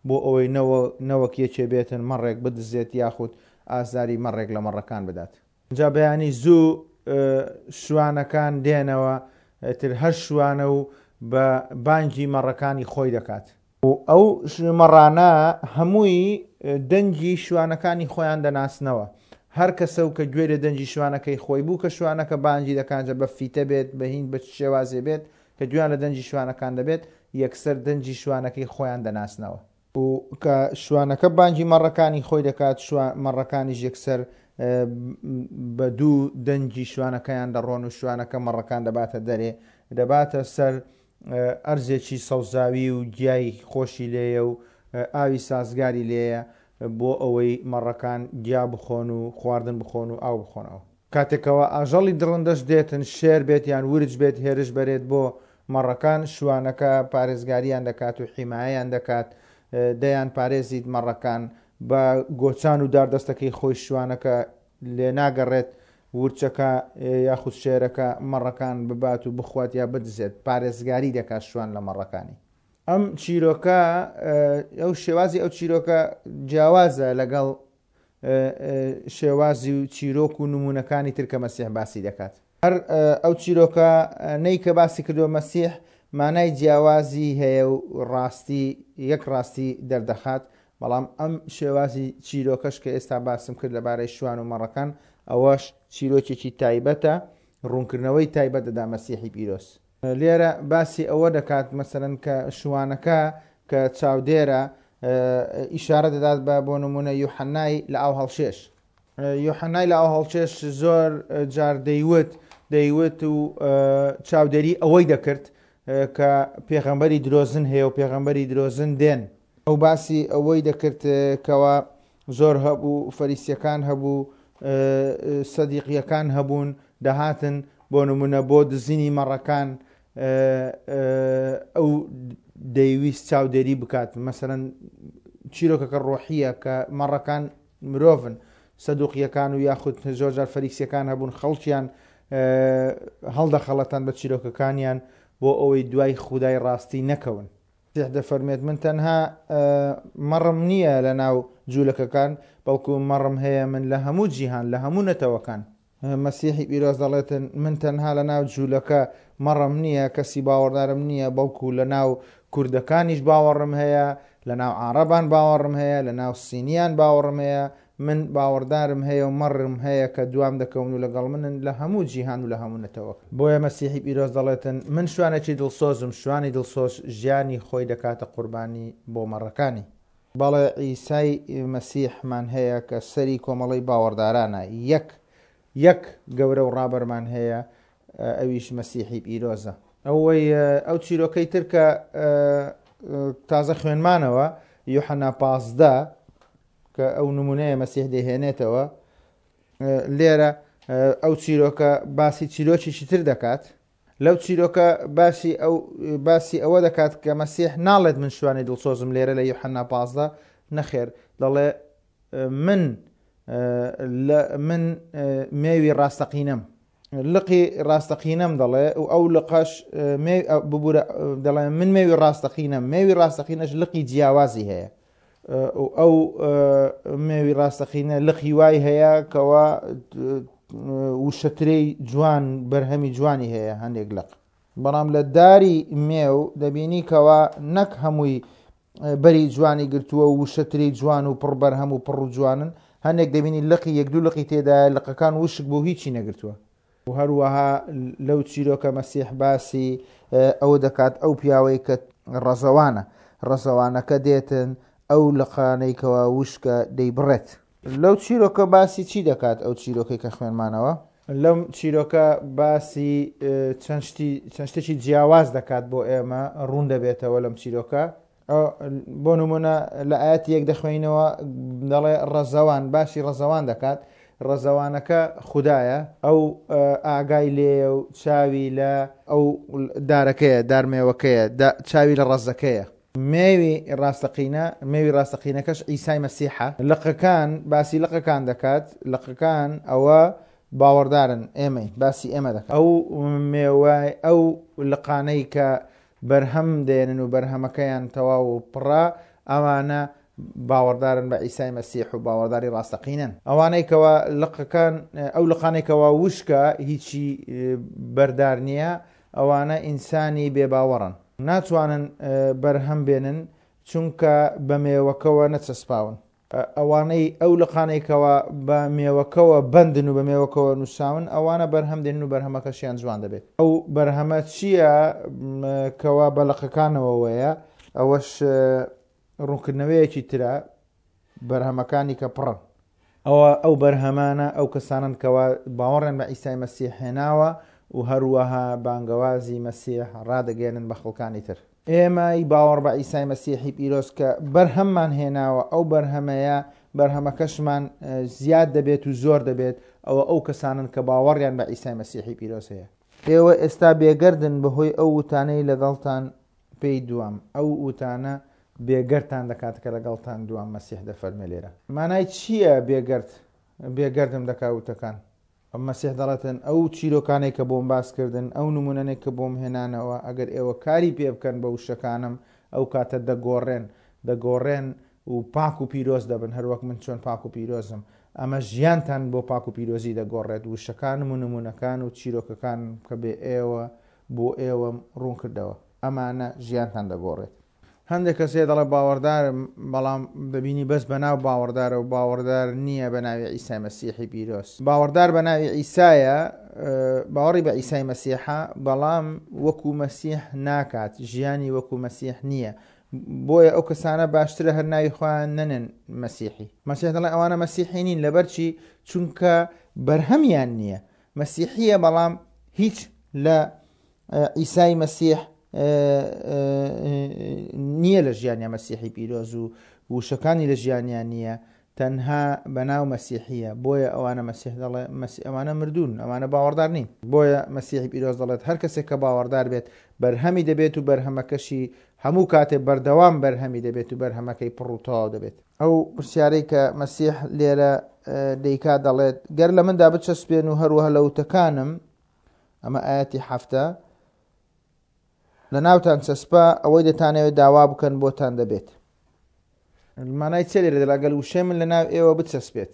بۆ ئەوەی نەوەک یەکێ بێتن مەڕێک بدزێت یاخود ئازاری مەڕێک لە مەڕەکان بدات. جا بەیانی زوو شوانەکان دێنەوە، ئیتر هەر شوانە و بە بانگی مەڕەکانی خۆی دەکات. و ئەو مەڕانە هەمووی دەنگی شوانەکانی خۆیان دەناسنەوە. هەر کەسە و کە گوێ لە دەنگی شوانەکەی خۆی بوو کە شوانەکە بانگی دەکات، جا بە فیتە بێت، بە هین، بە چ شێوازێ بێت، کە گوێیان لە دەنگی شوانەکان دەبێت، یەکسەر دەنگی شوانەکەی خۆیان دەناسنەوە. و کە شوانەکە بانگی مەڕەکانی خۆی دەکات، مەڕەکانیش یەکسەر بە دوو دەنگی شوانەکەیان دەڕۆن و شوانەکە مەڕەکان دەباتە دەرێ، دەباتە سەر ئەرزێکی سەوزاوی و گیای خۆشی لێیە و ئاوی سازگاری لێیە بۆ ئەوەی مەڕەکان گیا بخۆن و خواردن بخۆن و ئاو بخۆنەوە. کاتێکەوە ئاژەڵی دڕندەش دێتن، شێر بێت یان ورچ بێت هێرش بەرێت بۆ مەڕەکان، شوانەکە پارێزگاریان دەکات و حیمایەیان دەکات، دەیان پارێزیت مەڕەکان بە گۆچان و داردەستەکەی خۆی شوانەکە لێناگەڕێت ورچەکە یاخود شێرەکە مەڕەکان ببات و بخوات یا بدزێت، پارێزگاری دەکات شوان لە مەڕەکانی. ئەم چیرۆکە ئەو شێوازی ئەو چیرۆکە جیاوازە لەگەڵ شێوازی و چیرۆک و نمونەکانی تر کە مەسیح باسی دەکات. هەر ئەو چیرۆکە نەی کە باسی کردووە مەسیح مانای جیاوازی هەیە و ڕاستی یەک ڕاستی دەردەخات، بەڵام ئەم شێوازی چیرۆکەش کە ئێستا باسم کرد لەبارەی شوان و مەڕەکان ئەوەش چیرۆکێکی تایبەتە، ڕوونکردنەوەی تایبەت دەدا مەسیحی پیرۆز. لێرە باسی ئەوە دەکات مەسەلەن کە شوانەکە کە چاودێرە ئیشارە دەدات بە بۆ نمونە یوحەنای لە ئاو هەڵکێش. یوحەنای لە ئاو هەڵکێش زۆر جار دەیوت دەیوت و چاودێری ئەوەی دەکرد کە پێغەمبەری درۆزن هەیە و پێغەمبەری درۆزن دێن. ئەو باسی ئەوەی دەکرد کەوا زۆر هەبوو فەریسیەکان هەبوو سەدیقیەکان هەبوون دەهاتن بۆ نمونە بۆ دزینی مەڕەکان ئەو دەیویست چاودێری بکات مەسەرەن چیرۆکەکە ڕۆحیە کە مەڕەکان مرۆڤن سەدوقیەکان و یاخود زۆرجار فەریسیەکان هەبوون خەڵکیان هەڵدەخەڵەتان بە چیرۆکەکانیان بۆ ئەوەی دوای خودای ڕاستی نەکەون. مەسیح دەفەرموێت، من تەنها مەڕم نییە لە ناو جوولەکەکان، بەڵکو مەڕم هەیە من لە هەموو جیهان، لە هەموو نەتەوەکان. مەسیحی پیرۆز دەڵێتن، من تەنها لە ناو جوولەکە مەڕم نییە، کەسی باوەڕدارم نییە، بەڵکو لە ناو کوردەکانیش باوەڕم هەیە، لە ناو عاڕەبان باوەڕم هەیە، لە ناو سینیان باوەڕم هەیە، من باوەڕدارم هەیە و مەڕم هەیە کە دوام دەکەون و لەگەڵ منن لە هەموو جیهان و لە هەموو نەتەوەکان. بۆیە مەسیحی پیرۆز دەڵێتن، من شوانێکی دڵسۆزم، شوانی دڵسۆز ژیانی خۆی دەکاتە قوربانی بۆ مەڕەکانی. بەڵێ عیسای مەسیحمان هەیە کە سەری کۆمەڵەی باوەڕدارانە، یەک یەک گەورە و ڕابەرمان هەیە ئەویش مەسیحی پیرۆزە. ئەوەی ئەو چیرۆکەی تر کە تازە خوێنمانەوە یوحەنا 15 کە ئەو نمونەیە مەسیح دەهێنێتەوە لێرە ئەو چیرۆکە باسی چیرۆکێکی تر دەکات لەو چیرۆکە باسی ئەو باسی ئەوە دەکات کە مەسیح ناڵێت من شوانی دڵسۆزم لێرە لە یوحەنا 15 نەخێر دەڵێ من لە من مێوی ڕاستەقینەم لقی ڕاستەقینەم دەڵێ و ئەو لقەش ببوورە دەڵێ من مێوی ڕاستەقینەم مێوی ڕاستەقینەش لقی جیاوازی هەیە و ئەو مێوی ڕاستەقینە لقی وای هەیە کەوا وشەترەی جوان بەرهەمی جوانی هەیە هەندێک لق بەڵام لە داری مێو دەبینی کەوا نەک هەمووی بەری جوانی گرتووە و وشەترەی جوان و پڕ بەرهەم و پڕ و جوانن هەندێک دەبینی لقی یەک دوو لقی تێدایە لقەکان وشک بوو هیچی نەگرتووە و هەروەها لەو چیرۆکە مەسیح باسی ئەوە دەکات ئەو پیاوەی کە ڕەزەوانە ڕەزەوانەکە دێتن ئەو لقانەی کەوا وشکە دەیبڕێت. لەو چیرۆکە باسی چی دەکات ئەو چیرۆکەی کە خوێنمانەوە؟ لەم چیرۆکە باسی چەند شتی چەند شتێکی جیاواز دەکات بۆ ئێمە ڕوون دەبێتەوە لەم چیرۆکە بۆ نمونە لە ئاەتی یەک دەخوێنەوە دەڵێ ڕەزەوان باسی ڕەزەوان دەکات ڕەزەوانەکە خودایە ئەو ئاگای لێیە و چاوی لە ئەو دارەکەیە دارمێوەکەیە چاوی لە ڕەزەکەیە مێوی ڕاستەقینە مێوی ڕاستەقینەکەش عیسای مەسیحە لقەکان باسی لقەکان دەکات لقەکان ئەوە باوەڕدارن ئێمەی باسی ئێمە دەکات ئەو مێوای ئەو لقانەی کە بەرهەم دێنن و بەرهەمەکەیان تەواو و پڕە، ئەوانە باوەڕدارن بە عیسای مەسیح و باوەڕداری ڕاستەقینەن. ئەوانەی کەوا لقەکان، ئەو لقانەی کەوا وشکە، هیچی بەردار نییە، ئەوانە ئینسانی بێ باوەڕن. ناتوانن بەرهەم بێنن، چونکە بە مێوەکەوە نەچەسپاون. ئەوانەی ئەو لقانەی کەوا بە مێوەکەوە بەندن و بە مێوەکەوە نووساون ئەوانە بەرهەم دێنن و بەرهەمەکەشیان جوان دەبێت. ئەو بەرهەمە چییە کەوا بە لقەکانەوەوەیە؟ ئەوەش ڕوونکردنەوەیەکی ترە، بەرهەمەکانی کە پڕن. ئەوە ئەو بەرهەمانە ئەو کەسانەن کەوا باوەڕیان بە عیسای مەسیح هێناوە و هەروەها بانگەوازی مەسیح ڕادەگەیەنن بە خەڵکانی تر. ئێمەی باوەڕ بە عیسای مەسیحی پیرۆز کە بەرهەممان هێناوە ئەو بەرهەمەیە بەرهەمەکەشمان زیاد دەبێت و زۆر دەبێت ئەوە ئەو کەسانن کە باوەڕیان بە عیسای مەسیحی پیرۆز هەیە. ئێوە ئێستا بێگەردن بەهۆی ئەو وتانەی لەگەڵتان پێی دوام، ئەو وتانە بێگەردتان دەکات کە لەگەڵتان دوام، مەسیح دەفەرمێ لێرە. مانای چییە بێگەرد؟ بێگەردم دەکا وتەکان. مەسیح دەڵێتن، ئەو چیرۆکانەی کە بۆم باس کردن، ئەو نموونانەی کە بۆم هێنانەوە، ئەگەر ئێوە کاری پێ بکەن بە وشەکانم، ئەو کاتە دەگۆڕێن، دەگۆڕێن و پاک و پیرۆز دەبن، هەروەک من چۆن پاک و پیرۆزم. ئەمە ژیانتان بۆ پاک و پیرۆزی دەگۆڕێت، وشەکانم و نموونەکان و چیرۆکەکانم کە بێ ئێوە بۆ ئێوەم ڕوون کردەوە، ئەمانە ژیانتان دەگۆڕێت. هەندێک کەس هەیە دەڵێ باوەڕدارم، بەڵام دەبینی بەس بەناو باوەڕدارە و باوەڕدار نییە بە ناوی عیسای مەسیحی پیرۆز. باوەڕدار بە ناوی عیسایە، باوەڕی بە عیسای مەسیحە، بەڵام وەکو مەسیح ناکات، ژیانی وەکو مەسیح نییە. بۆیە ئەو کەسانە باشترە هەر ناوی خۆیان نەنێن مەسیحی. مەسیح دەڵێ ئەوانە مەسیحی نین، لەبەرچی؟ چونکە بەرهەمیان نییە. مەسیحییە بەڵام هیچ لە عیسای مەسیح نییە لە ژیانیا مەسیحی پیرۆز و وشەکانی لە ژیانیان نییە تەنها بەناو مەسیحیە بۆیە ئەوانە مەسیح دەڵێ مەسی ئەوانە مردوون ئەوانە باوەڕدار نین بۆیە مەسیحی پیرۆز دەڵێت هەر کەسێک کە باوەڕدار بێت بەرهەمی دەبێت و بەرهەمەکەشی هەموو کاتێ بەردەوام بەرهەمی دەبێت و بەرهەمەکەی پڕ و تەواو دەبێت ئەو پرسیارەی کە مەسیح لێرە دەیکات دەڵێت گەر لە مندا بچەسپێن و هەروەها لە وتەکانم ئەمە ئاەتی حەفتە لە ناوتان چەسپا ئەوەی دەتانەوێت داوا بکەن بۆتان دەبێت مانای چێ لێرە دەڵێ ئەگەر وشەی من لە ناو ئێوە بچەسپێت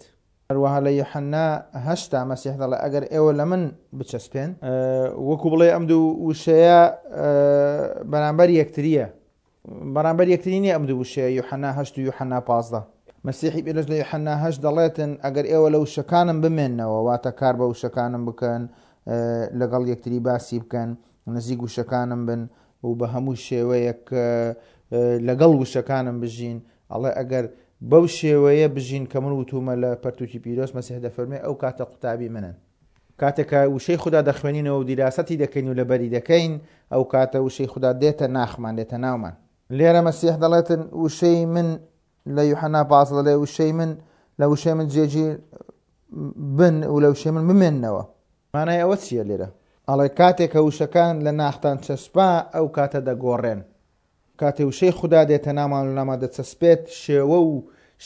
هەروەها لە یوحەنا هەشتا مەسیح دەڵێ ئەگەر ئێوە لە من بچەسپێن وەکو بڵێ ئەم دوو وشەیە بەرامبەر یەکتریە. بەرامبەر یەکتری نییە ئەم دوو وشەیە، یوحەنا هەشت و یوحەنا 15. مەسیحی پیرۆز لە یوحەنا هەشت دەڵێتن، ئەگەر ئێوە لە وشەکانم بمێننەوە، واتە کار بە وشەکانم بکەن، لەگەڵ یەکتری باسی بکەن، نزیک وشەکانم بن و بە هەموو شێوەیەک لەگەڵ وشەکانم بژین، ئەڵێ ئەگەر بەو شێوەیە بژین کە من وتومە لە پەرتوکی پیرۆز، مەسیح دەفەرمێ ئەو کاتە قوتابی منن. کاتێک کە وشەی خودا دەخوێنینەوە و دیراسەتی دەکەین و لەبەری دەکەین، ئەو کاتە وشەی خودا دێتە ناخمان، دێتە ناومان. لێرە مەسیح دەڵێتن وشەی من لە یوحەنا 15 دەڵێ وشەی من لە وشەی من جێگیر بن و لە وشەی من بمێننەوە. مانای ئەوە چییە لێرە؟ ئەڵێ کاتێک کە وشەکان لە ناختان چەسپا ئەو کاتە دەگۆڕێن. کاتێ وشەی خودا دێتە ناومان و لەناومان دەچەسپێت، شێوە و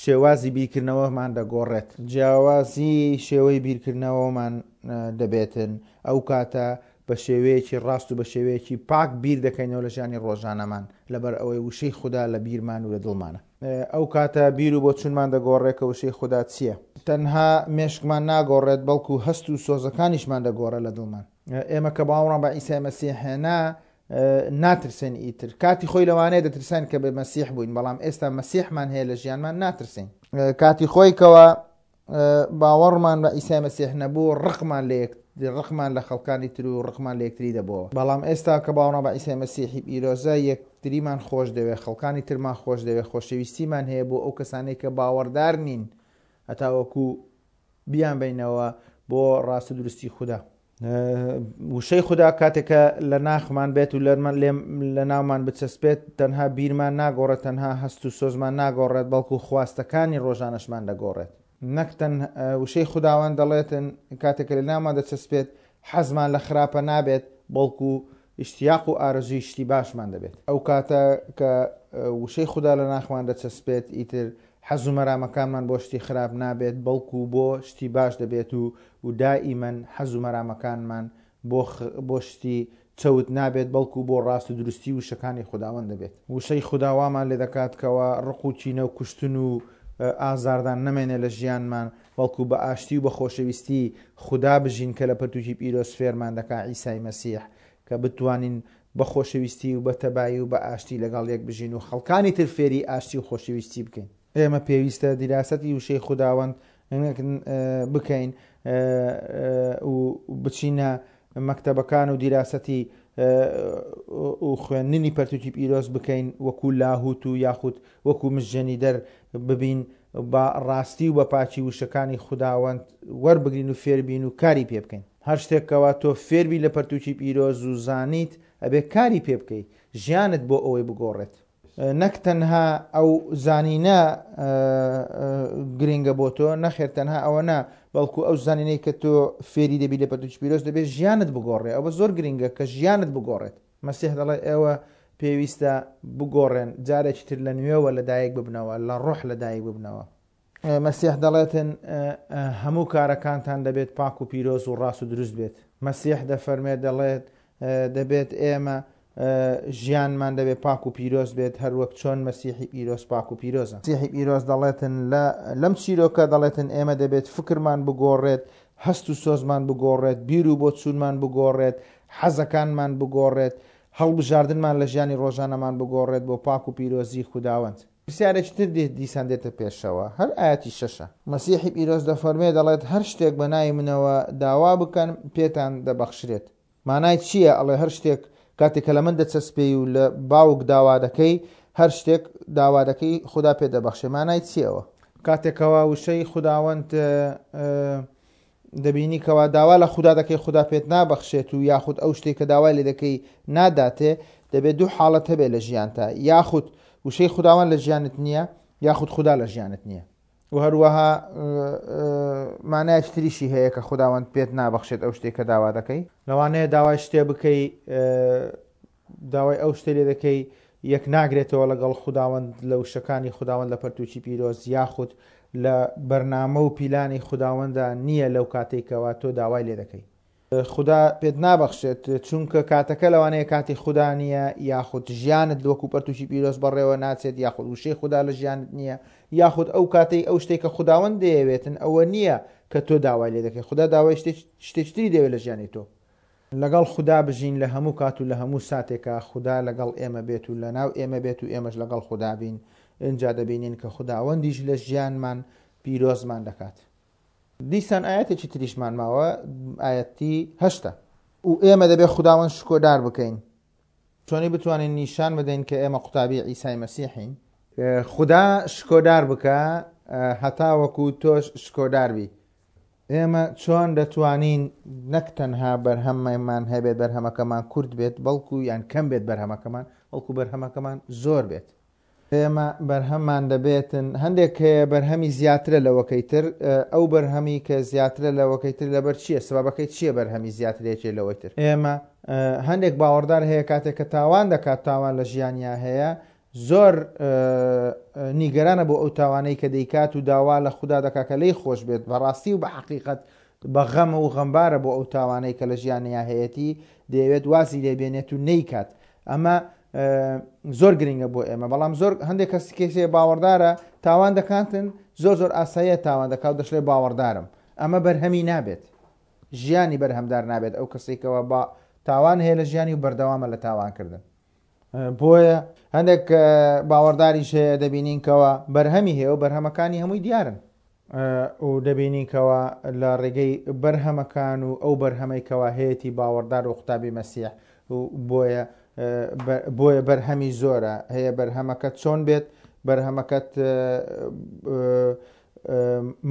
شێوازی بیرکردنەوەمان دەگۆڕێت. جیاوازی شێوەی بیرکردنەوەمان دەبێتن، ئەو کاتە بە شێوەیەکی ڕاست و بە شێوەیەکی پاک بیر دەکەینەوە لە ژیانی ڕۆژانەمان، لەبەر ئەوەی وشەی خودا لە بیرمان و لە دڵمانە. ئەو کاتە بیر و بۆچوونمان دەگۆڕێت کە وشەی خودا چییە. تەنها مێشکمان ناگۆڕێت، بەڵکو هەست و سۆزەکانیشمان دەگۆڕێت لە دڵمان. ئێمە کە باوەڕمان بە عیسای مەسیح هێنا، ناترسێن ئیتر. کاتی خۆی لەوانەیە دەترساین کە بێ مەسیح بووین، بەڵام ئێستا مەسیحمان هەیە لە ژیانمان ناترسین. کاتی خۆی کەوا باوەڕمان بە عیسای مەسیح نەبوو، ڕقمان لە یەک ڕقمان لە خەڵکانی تر و ڕقمان لە یەکتری دەبۆوە. بەڵام ئێستا کە باوەڕمان بە عیسای مەسیحی پیرۆزە، یەکتریمان خۆش دەوێت، خەڵکانی ترمان خۆش دەوێت، خۆشەویستیمان هەیە بۆ ئەو کەسانەی کە باوەڕدار نین، هەتاوەکو بیانبەینەوە بۆ ڕاست و دروستی خودا. وشەی خودا کاتێک کە لە ناخمان بێت و لە ناومان بچەسپێت تەنها بیرمان ناگۆڕێت تەنها هەست و سۆزمان ناگۆڕێت بەڵکو خواستەکانی ڕۆژانەشمان دەگۆڕێت نەک تەن وشەی خوداوەند دەڵێتن کاتێک کە لە ناومان دەچەسپێت حەزمان لە خراپە نابێت بەڵکو ئیشتیاق و ئارەزووی شتی باشمان دەبێت. ئەو کاتە کە وشەی خودا لە ناخمان دەچەسپێت ئیتر حەز و مەرامەکانمان بۆ شتی خراپ نابێت بەڵکو بۆ شتی باش دەبێت و و دائیمەن حەز و مەرامەکانمان بۆ بۆ شتی چەوت نابێت بەڵکو بۆ ڕاست و دروستی وشەکانی خوداوەند دەبێت. وشەی خودا وامان لێ دەکات کەوا ڕق و کینە و کوشتن و ئازاردان نەمێنێ لە ژیانمان بەڵکو بە ئاشتی و بە خۆشەویستی خودا بژین کە لە پەرتوکی پیرۆز فێرمان دەکا عیسای مەسیح کە بتوانین بە خۆشەویستی و بە تەبایی و بە ئاشتی لەگەڵ یەک بژین و خەڵکانی تر فێری ئاشتی و خۆشەویستی بکەین. ئێمە پێویستە دیراسەتی وشەی خوداوەند بکەین و بچینە مەکتەبەکان و دیراسەتی و خوێندنی پەرتوکی پیرۆز بکەین وەکو لاهوت و یاخود وەکو مژێنیدەر ببین بە ڕاستی و بە پاکی وشەکانی خوداوەند وەربگرین و فێربین و کاری پێ بکەین. هەر شتێک کەوا تۆ فێربی لە پەرتوکی پیرۆز و زانیت ئەبێ کاری پێ بکەی ژیانت بۆ ئەوەی بگۆڕێت. نەک تەنها ئەو زانینە گرنگە بۆ تۆ، نەخێر تەنها ئەوە نا، بەڵکو ئەو زانینەی کە تۆ فێری دەبی لە پەرتوکی پیرۆز دەبێت ژیانت بگۆڕێ. ئەوە زۆر گرنگە کە ژیانت بگۆڕێت. مەسیح دەڵێ ئێوە پێویستە بگۆڕێن، جارێکی تر لە نوێوە لەدایک ببنەوە، لە ڕۆح لەدایک ببنەوە. مەسیح دەڵێتن هەموو کارەکانتان دەبێت پاک و پیرۆز و ڕاست و دروست بێت. مەسیح دەفەرمێت دەڵێت دەبێت ئێمە ژیانمان دەبێت پاک و پیرۆز بێت هەروەک چۆن مەسیحی پیرۆز پاک و پیرۆزە. مەسیحی پیرۆز دەڵێتن لە لەم چیرۆکە دەڵێتن ئێمە دەبێت فکرمان بگۆڕێت، هەست و سۆزمان بگۆڕێت، بیر و بۆچوونمان بگۆڕێت، حەزەکانمان بگۆڕێت، هەڵبژاردنمان لە ژیانی ڕۆژانەمان بگۆڕێت بۆ پاک و پیرۆزی خوداوەند. پرسیارێکی تر دێت دیسان دێتە پێشەوە، هەر ئایەتی شەشە. مەسیحی پیرۆز دەفەرموێ دەڵێت هەر شتێک بە ناوی منەوە داوا بکەن پێتان دەبەخشرێت. مانای چییە ئەڵێ هەر شتێک کاتێک کە لە من دەچەسپێی و لە باوک داوا دەکەی هەر شتێک داوا دەکەی خودا پێت دەبەخشێ مانای چییە ئەوە؟ کاتێک کەوا وشەی خوداوەند دەبینی کەوا داوا لە خودا دەکەی خودا پێت نابەخشێت و یاخود ئەو شتێک کە داوای لێ دەکەی ناداتێ دەبێت دوو حاڵەت هەبێت لە ژیانتا یاخود وشەی خوداوەند لە ژیانت نییە یاخود خودا لە ژیانت نییە و هەروەها مانایەکی تریشی هەیە کە خوداوەند پێت نابەخشێت ئەو شتێک کە داوا دەکەی لەوانەیە داوای شتێ بکەی داوای ئەو شتەی لێ دەکەی یەک ناگرێتەوە لەگەڵ خوداوەند لە وشەکانی خوداوەند لە پەرتوکی پیرۆز یاخود لە بەرنامە و پیلانی خوداوەندا نییە لەو کاتەی کەوا تۆ داوای لێ دەکەی. خودا پێت نابەخشێت چونکە کاتەکە لەوانەیە کاتی خودا نییە یاخود ژیانت وەکو پەرتوکی پیرۆز بەڕێوە ناچێت یاخود وشەی خودا لە ژیانت نییە یاخود ئەو کاتەی ئەو شتێک کە خوداوەند دەیەوێتن ئەوە نییە کە تۆ داوای لێ دەکەی خودا داوای شتێکی تری دەوێت لە ژیانی تۆ. لەگەڵ خودا بژین لە هەموو کات و لە هەموو ساتێکا خودا لەگەڵ ئێمە بێت و لەناو ئێمە بێت و ئێمەش لەگەڵ خودا بین ئینجا دەبینین کە خوداوەندیش لە ژیانمان پیرۆزمان دەکات. دیسان ئایەتێکی تریشمان ماوە ئایەتی هەشتە. و ئێمە دەبێت خوداوەند شکۆدار بکەین. چۆنی بتوانین نیشان بدەین کە ئێمە قوتابی عیسای مەسیحین؟ خودا شکۆدار بکە هەتاوەکو تۆش شکۆدار بی. ئێمە چۆن دەتوانین نەک تەنها بەرهەممان هەبێت بەرهەمەکەمان کورت بێت بەڵکو یان کەم بێت بەرهەمەکەمان بەڵکو بەرهەمەکەمان زۆر بێت. ئێمە بەرهەممان دەبێتن هەندێک هەیە بەرهەمی زیاترە لەوەکەی تر ئەو بەرهەمی کە زیاترە لەوەکەی تر لەبەر چییە سبابەکەی چییە بەرهەمی زیاترێکێ لەوەی تر ئێمە هەندێک باوەڕدار هەیە کاتێک کە تاوان دەکات تاوان لە ژیانیا هەیە زۆر نیگەرانە بۆ ئەو تاوانەی کە دەیکات و داوا لە خودا دەکا کە لێی خۆش بێت بەڕاستی و بە حەقیقەت بە غەم و غەمبارە بۆ ئەو تاوانەی کە لە ژیانیا هەیەتی دەیەوێت وازی لێ بێنێت و نەیکات ئەمە زۆر گرنگە بۆ ئێمە بەڵام زۆر هەندێک کەس کێسێ باوەڕدارە تاوان دەکاتن زۆر زۆر ئاساییە تاوان دەکات و دەشڵێ باوەڕدارم ئەمە بەرهەمی نابێت ژیانی بەرهەمدار نابێت ئەو کەسێکەوە با تاوان هەیە لە ژیانی و بەردەوامە لە تاوانکردن بۆیە هەندێک باوەڕداریش هەیە دەبینین کەوا بەرهەمی هەیە و بەرهەمەکانی هەمووی دیارن و دەبینین کەوا لە ڕێگەی بەرهەمەکان و ئەو بەرهەمەی کەوا هەیەی باوەڕدار و قوتابی مەسیح و بۆیە بۆیە بەرهەمی زۆرە هەیە بەرهەمەکە چۆن بێت بەرهەمەکەت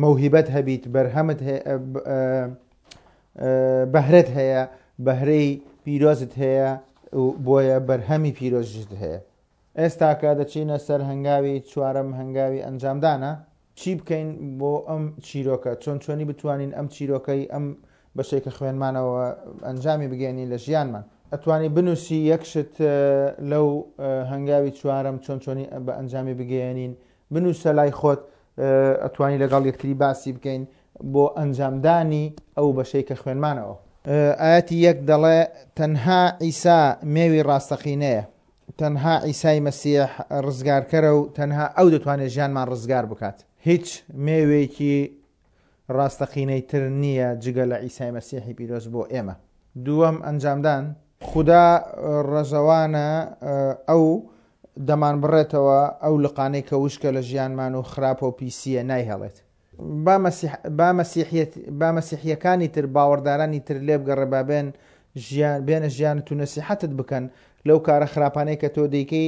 مەوهیبەت هەبیت بەرهەمت بەهرەت هەیە بەهرەی پیرۆزت هەیە و بۆیە بەرهەمی پیرۆزیشت هەیە. ئێستاکە دەچینە سەر هەنگاوی چوارەم هەنگاوی ئەنجامدانە. چی بکەین بۆ ئەم چیرۆکە؟ چۆن چۆنی بتوانین ئەم چیرۆکەی ئەم بەشەی کە خوێنمانەوە ئەنجامی بگەیەنین لە ژیانمان؟ ئەتوانی بنووسی یەک شت لەو هەنگاوی چوارەم چۆن چۆنی بە ئەنجامی بگەیەنین بنووسە لای خۆت ئەتوانی لەگەڵ یەکتری باسی بکەین بۆ ئەنجامدانی ئەو بەشەی کە خوێنمانەوە. ئایەتی یەک دەڵێ تەنها عیسا مێوی ڕاستەقینەیە، تەنها عیسای مەسیح ڕزگارکەرە و تەنها ئەو دەتوانێت ژیانمان ڕزگار بکات. هیچ مێوێکی ڕاستەقینەی تر نییە جگە لە عیسای مەسیحی پیرۆز بۆ ئێمە. دووەم ئەنجامدان. خودا ڕەزەوانە ئەو دەمانبڕێتەوە ئەو لقانەی کە وشکە لە ژیانمان و خراپە و پیسییە نایهێڵێت. با مەسیح با مەسیحیەت با مەسیحیەکانی تر باوەڕدارانی تر لێبگەڕێ با بێن ژیان بێنە ژیانت و نەسیحەتت بکەن لەو کارە خراپانەی کە تۆ دەیکەی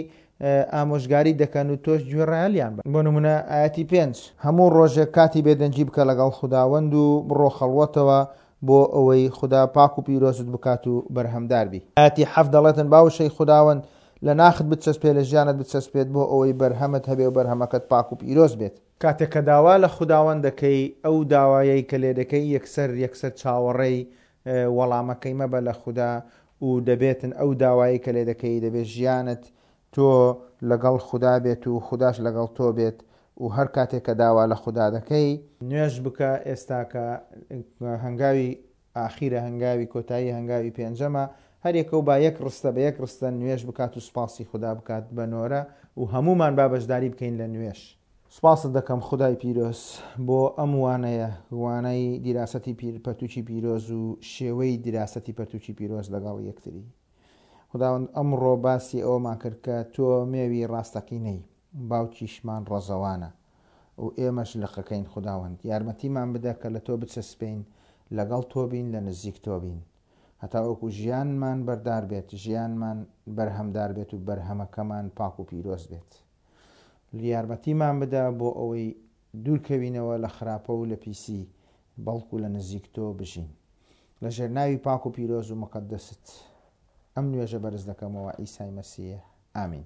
ئامۆژگاری دەکەن و تۆش گوێڕایەلیان بە. بۆ نمونە ئایەتی پێنج. هەموو ڕۆژێک کاتی بێدەنگی بکە لەگەڵ خوداوەند و بڕۆ خەڵوەتەوە بۆ ئەوەی خودا پاک و پیرۆزت بکات و بەرهەمدار بی. ئایەتی حەفت دەڵێتن با وشەی خوداوەند لە ناخت بچەسپێ لە ژیانت بچەسپێت بۆ ئەوەی بەرهەمت هەبێ و بەرهەمەکەت پاک و پیرۆز بێت. کاتێک کە داوا لە خوداوەند دەکەی ئەو داوایەی کە لێدەکەی یەکسەر یەکسەر چاوەڕێی وەڵامەکەی مەبە لە خودا و دەبێتن ئەو داوایەی کە لێدەکەی دەبێت ژیانت تۆ لەگەڵ خودا بێت و خوداش لەگەڵ تۆ بێت و هەر کاتێک کە داوا لە خودا دەکەی نوێژ بکە ئێستاکە هەنگاوی ئاخیرە هەنگاوی کۆتایی هەنگاوی پێنجەمە هەریەکەو با یەک ڕستە بە یەک ڕستە نوێژ بکات و سوپاسی خودا بکات بە نۆرە و هەموومان با بەشداری بکەین لە نوێژ. سوپاست دەکەم خودای پیرۆز بۆ ئەم وانەیە وانەی دیراسەتی پیر پەرتوکی پیرۆز و شێوەی دیراسەتی پەرتوکی پیرۆز لەگەڵ یەکتری خوداوەند ئەمڕۆ باسی ئەوەمان کرد کە تۆ مێوی ڕاستەقینەی باوکیشمان ڕەزەوانە و ئێمەش لقەکەین خوداوەند یارمەتیمان بدە کە لە تۆ بچەسپێین لەگەڵ تۆ بین لە نزیک تۆ بین هەتاوەکو ژیانمان بەردار بێت ژیانمان بەرهەمدار بێت و بەرهەمەکەمان پاک و پیرۆز بێت یارمەتیمان بدە بۆ ئەوەی دوورکەوینەوە لە خراپە و لە پیسی بەڵکو لە نزیک تۆ بژین لە ژێر ناوی پاک و پیرۆز و مقەدەست ئەم نوێژە بەرز دەکەمەوە عیسای مەسیح ئامین.